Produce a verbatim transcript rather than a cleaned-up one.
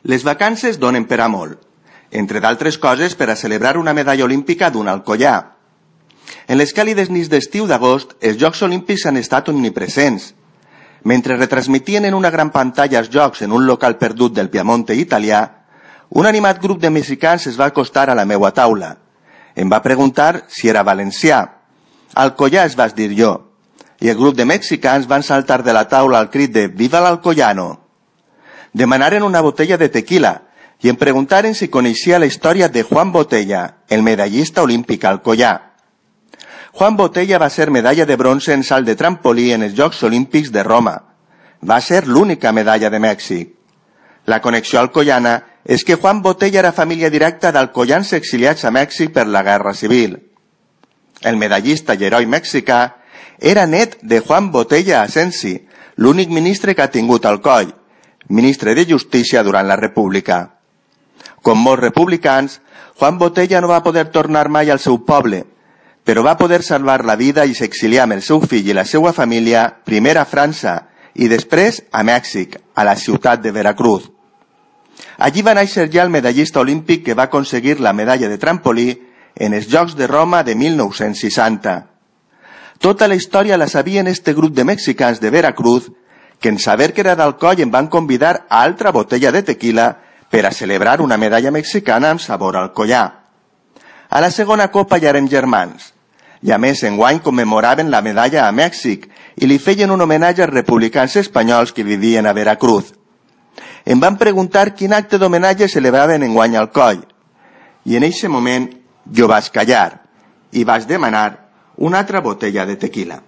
Les vacances donen per a molt, entre d'altres coses per a celebrar una medalla olímpica d'un Alcoyà. En les càlides nits d'estiu d'agost, els Jocs Olímpics han estat omnipresents. Mentre retransmitien en una gran pantalla els Jocs en un local perdut del Piamonte italià, un animat grup de mexicans es va acostar a la meua taula. Em va preguntar si era valencià. Alcoyà, es vas dir jo. I el grup de mexicans van saltar de la taula al crit de «Viva l'Alcoyano!». Demanaren una botella de tequila i em preguntaren si coneixia la història de Juan Botella, el medallista olímpic alcoyà. Juan Botella va ser medalla de bronze en salt de trampolí en els Jocs Olímpics de Roma. Va ser l'única medalla de Mèxic. La connexió alcoyana és que Juan Botella era família directa d'alcoyans exiliats a Mèxic per la Guerra Civil. El medallista i heroi mexicà era net de Juan Botella Asensi, l'únic ministre que ha tingut Alcoi, ministre de Justícia durant la República. Com molts republicans, Juan Botella no va poder tornar mai al seu poble, però va poder salvar la vida i s'exiliar amb el seu fill i la seva família, primer a França i després a Mèxic, a la ciutat de Veracruz. Allí va néixer ja el medallista olímpic que va aconseguir la medalla de trampolí en els Jocs de Roma de mil nou-cents seixanta. Tota la història la sabien este grup de mexicans de Veracruz que en saber que era d'Alcoi em van convidar a altra botella de tequila per a celebrar una medalla mexicana amb sabor alcoià. A la segona copa ja érem germans, i a més enguany commemoraven la medalla a Mèxic i li feien un homenatge als republicans espanyols que vivien a Veracruz. Em van preguntar quin acte d'homenatge celebraven enguany a Alcoi, i en eixe moment jo vaig callar i vaig demanar una altra botella de tequila.